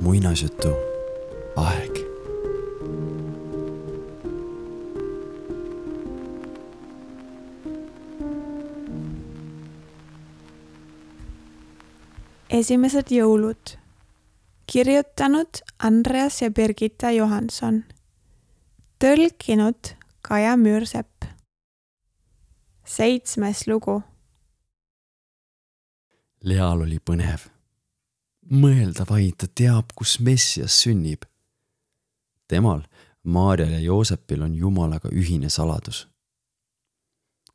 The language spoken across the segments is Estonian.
Muinasjutu aeg. Esimesed jõulud. Kirjutanud Andreas ja Birgitta Johansson. Tõlkinud Kaja Müürsepp. 7. lugu. Leal oli põnev. Mõelda vaid, ta teab, kus Messias sünnib. Temal, Maarjal ja Joosepil on Jumalaga ühine saladus.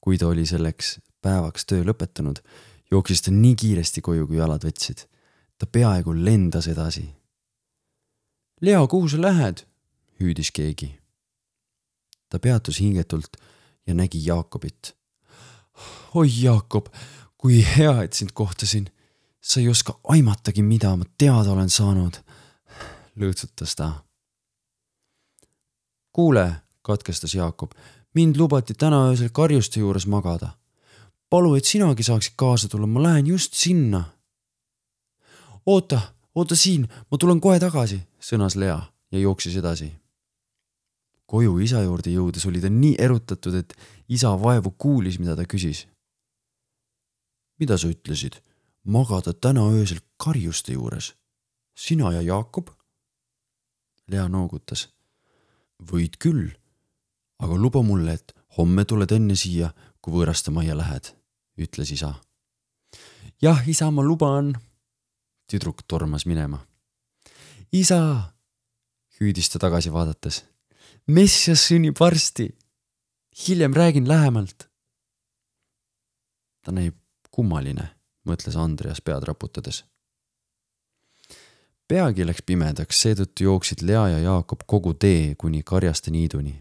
Kui ta oli selleks päevaks töö lõpetanud, jooksis ta nii kiiresti koju, kui jalad võtsid. Ta peaaegu lendas edasi. Lea, kuhu sa lähed? Hüüdis keegi. Ta peatus hingetult ja nägi Jaakobit. Oi Jaakob, kui hea, et sind kohtasin. Sa ei oska aimatagi, mida ma teada olen saanud. Lõõtsutas ta. Kuule, katkestas Jaakob, mind lubati täna öösel karjuste juures magada. Palu, et sinagi saaksid kaasa tulla, ma lähen just sinna. Oota siin, ma tulen kohe tagasi, sõnas Lea ja jooksis edasi. Koju isa juurde jõudes oli ta nii erutatud, et isa vaevu kuulis, mida ta küsis. Mida sa ütlesid? Magada täna öösel karjuste juures. Sina ja Jaakob? Lea noogutas. Võid küll, aga luba mulle, et homme tuled enne siia, kui võõraste majja lähed, ütles isa. Jah, isa, ma luban. Tüdruk tormas minema. Isa, hüüdis ta tagasi vaadates. Messias sünnib varsti. Hiljem räägin lähemalt. Ta näib kummaline, mõtles Andreas pead raputades. Peagi läks pimedaks, seetõttu jooksid Lea ja Jaakob kogu tee kuni karjaste niiduni.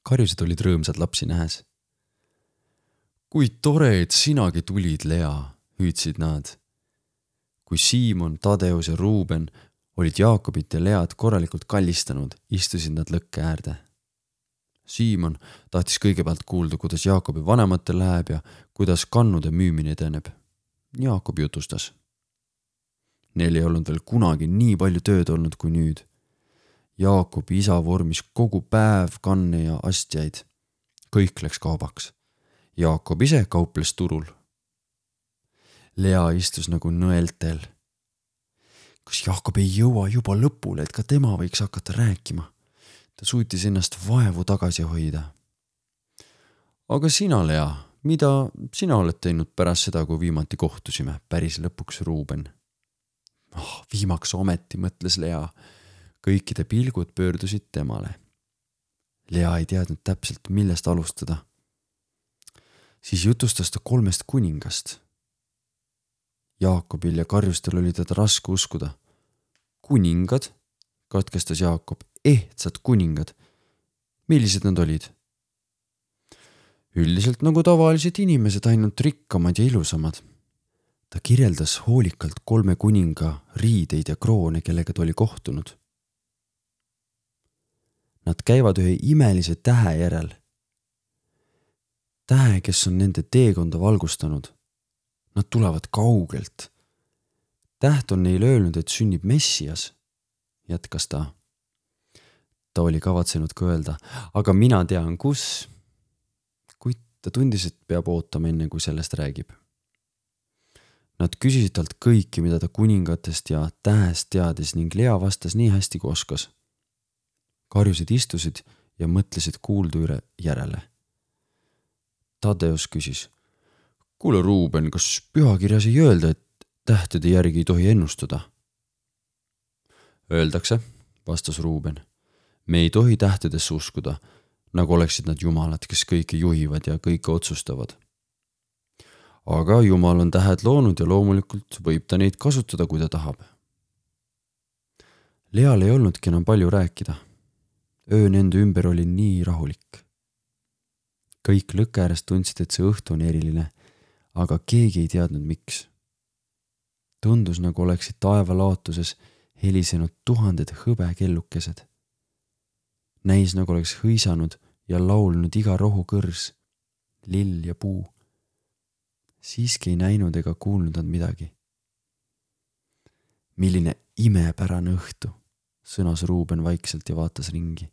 Karjused olid rõõmsad lapsi nähes. Kui tore, et sinagi tulid, Lea, hüüdsid nad. Kui Siimon, Tadeus ja Ruuben olid Jaakobit ja Lead korralikult kallistanud, istusid nad lõkke äärde. Siimon tahtis kõigepealt kuulda, kuidas Jaakobi vanematel läheb ja kuidas kannude müümine edeneb. Jaakob jutustas. Neil ei olnud veel kunagi nii palju tööd olnud kui nüüd. Jaakobi isa vormis kogu päev kanne ja astjaid. Kõik läks kaubaks. Jaakob ise kauples turul. Lea istus nagu nõeltel. Kas Jaakob ei jõua juba lõpule, et ka tema võiks hakata rääkima? Ta suutis ennast vaevu tagasi hoida. Aga sina, Lea, mida sina oled teinud pärast seda, kui viimati kohtusime? Päris lõpuks Ruuben. Viimaks ometi, mõtles Lea. Kõikide pilgud pöördusid temale. Lea ei teadnud täpselt, millest alustada. Siis jutustas ta 3 kuningast. Jaakobil ja karjustel oli teda raske uskuda. Kuningad, katkestas Jaakob, ehtsad kuningad. Millised nad olid? Üldiselt nagu tavalised inimesed, ainult rikkamad ja ilusamad. Ta kirjeldas hoolikalt 3 kuninga riideid ja kroone, kellega ta oli kohtunud. Nad käivad ühe imelise tähe järel. Tähe, kes on nende teekonda valgustanud. Nad tulevad kaugelt. Täht on neile öelnud, et sünnib Messias, jätkas ta. Ta oli kavatsenud ka öelda, aga mina tean, kus. Kuid ta tundis, et peab ootama enne, kui sellest räägib. Nad küsisid talt kõiki, mida ta kuningatest ja tähest teadis ning Lea vastas nii hästi, kui oskas. Karjused istusid ja mõtlesid kuuldu üle järele. Tadeus küsis. Kuule, Ruuben, kas pühakirjas ei öelda, et tähtede järgi ei tohi ennustada? Öeldakse, vastas Ruuben. Me ei tohi tähtedesse uskuda, nagu oleksid nad jumalad, kes kõike juhivad ja kõike otsustavad. Aga Jumal on tähed loonud ja loomulikult võib ta neid kasutada, kui ta tahab. Leal ei olnudki enam palju rääkida. Öö nende ümber oli nii rahulik. Kõik lõkke äärest tundsid, et see õhtu on eriline, aga keegi ei teadnud, miks. Tundus, nagu oleksid taevalaotuses helisenud 1000 hõbekellukesed. Näis, nagu oleks hõisanud ja laulnud iga rohukõrs, lill ja puu. siiski ei näinud ega kuulnud nad midagi. Milline imepärane õhtu, sõnas Ruuben vaikselt ja vaatas ringi.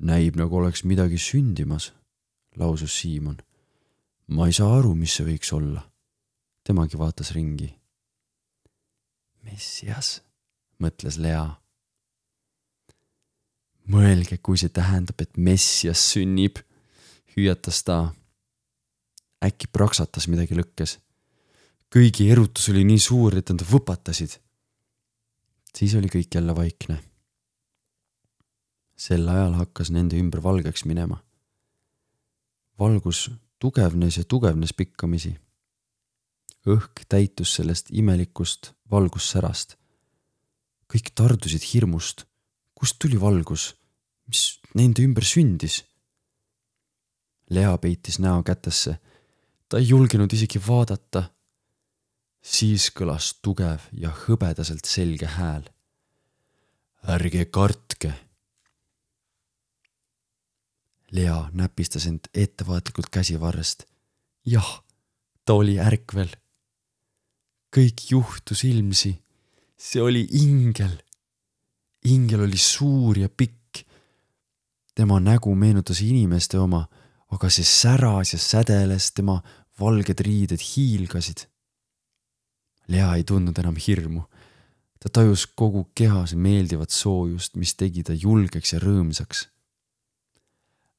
Näib nagu oleks midagi sündimas, lausus Siimon. Ma ei saa aru, mis see võiks olla. Temagi vaatas ringi. Messias, mõtles Lea. Mõelge, kui see tähendab, et Messias sünnib, hüüatas ta. Äkki praksatas midagi lõkkes. Kõigi erutus oli nii suur, et nad võpatasid. Siis oli kõik jälle vaikne. Sel ajal hakkas nende ümber valgeks minema. Valgus tugevnes ja tugevnes pikkamisi. Õhk täitus sellest imelikust valgussärast. Kõik tardusid hirmust. Kust tuli valgus? Mis nende ümber sündis? Lea peitis näo kätesse. Ta ei julgenud isegi vaadata. Siis kõlas tugev ja hõbedaselt selge hääl. Ärge kartke. Lea näpistas end ettevaatlikult käsivarrest. Jah, ta oli ärkvel. Kõik juhtus ilmsi. See oli ingel. Ingel oli suur ja pikk. Tema nägu meenutas inimeste oma, aga see säras ja sädeles, tema valged riided hiilgasid. Lea ei tundnud enam hirmu. Ta tajus kogu kehas meeldivat soojust, mis tegi ta julgeks ja rõõmsaks.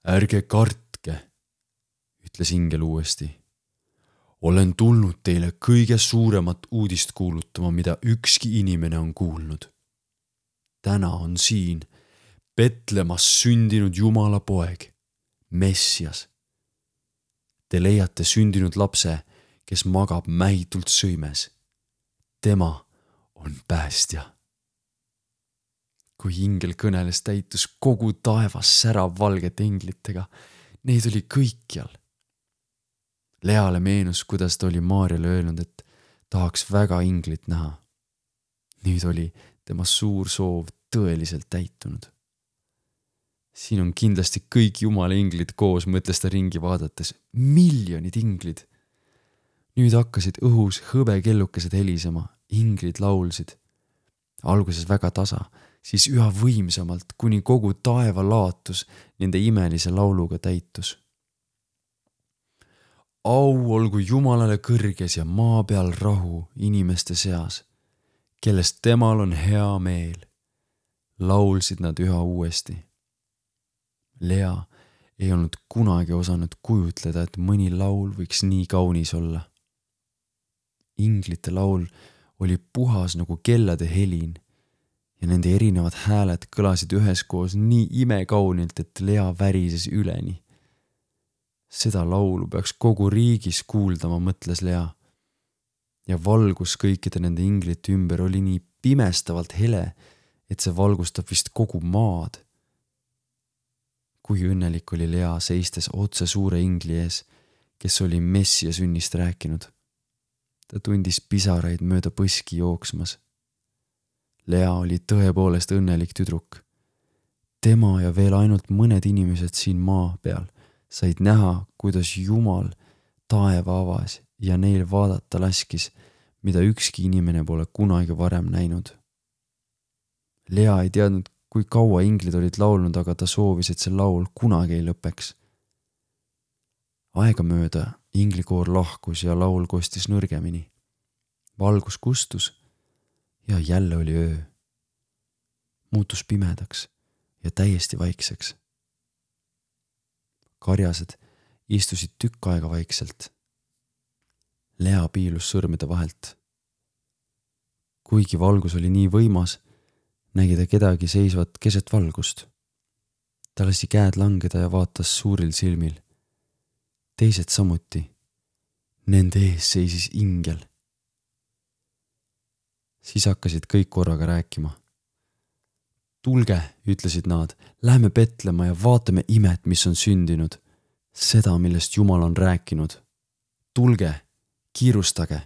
Ärge kartke, ütles ingel uuesti. Olen tulnud teile kõige suuremat uudist kuulutama, mida ükski inimene on kuulnud. Täna on siin Betlemas sündinud Jumala poeg, Messias. Te leiate sündinud lapse, kes magab mähitult sõimes. Tema on päästja. Kui ingel kõneles, täitus kogu taevas särav valgete englitega. Neid oli kõikjal. Leale meenus, kuidas ta oli Maarjale öelnud, et tahaks väga inglit näha. Nüüd oli tema suur soov tõeliselt täitunud. Siin on kindlasti kõik Jumala inglid koos, mõtles ta ringi vaadates. Miljonid inglid. Nüüd hakkasid õhus hõbekellukesed helisema, inglid laulsid. Alguses väga tasa, siis üha võimsamalt, kuni kogu taeva laatus nende imelise lauluga täitus. Au olgu Jumalale kõrges ja maa peal rahu inimeste seas, kellest temal on hea meel. Laulsid nad üha uuesti. Lea ei olnud kunagi osanud kujutleda, et mõni laul võiks nii kaunis olla. Inglite laul oli puhas nagu kellade helin ja nende erinevad hääled kõlasid üheskoos nii imekaunilt, et Lea värises üleni. Seda laulu peaks kogu riigis kuuldama, mõtles Lea. Ja valgus kõikide nende inglite ümber oli nii pimestavalt hele, et see valgustab vist kogu maad. Kui õnnelik oli Lea seistes otse suure ingli ees, kes oli Messia sünnist rääkinud. Ta tundis pisaraid mööda põski jooksmas. Lea oli tõepoolest õnnelik tüdruk. Tema ja veel ainult mõned inimesed siin maa peal said näha, kuidas Jumal taeva avas ja neil vaadata laskis, mida ükski inimene pole kunagi varem näinud. Lea ei teadnud, kui kaua inglid olid laulnud, aga ta soovis, et see laul kunagi ei lõpeks. Aegamööda inglikoor lahkus ja laul kostis nõrgemini. Valgus kustus ja jälle oli öö. Muutus pimedaks ja täiesti vaikseks. Karjased istusid tükk aega vaikselt. Lea piilus sõrmede vahelt. Kuigi valgus oli nii võimas, nägi ta kedagi seisvat keset valgust. Ta lasi käed langeda ja vaatas suuril silmil. Teised samuti. Nende ees seisis ingel. Siis hakkasid kõik korraga rääkima. Tulge, ütlesid nad, lähme Betlema ja vaatame imet, mis on sündinud. Seda, millest Jumal on rääkinud. Tulge, kiirustage.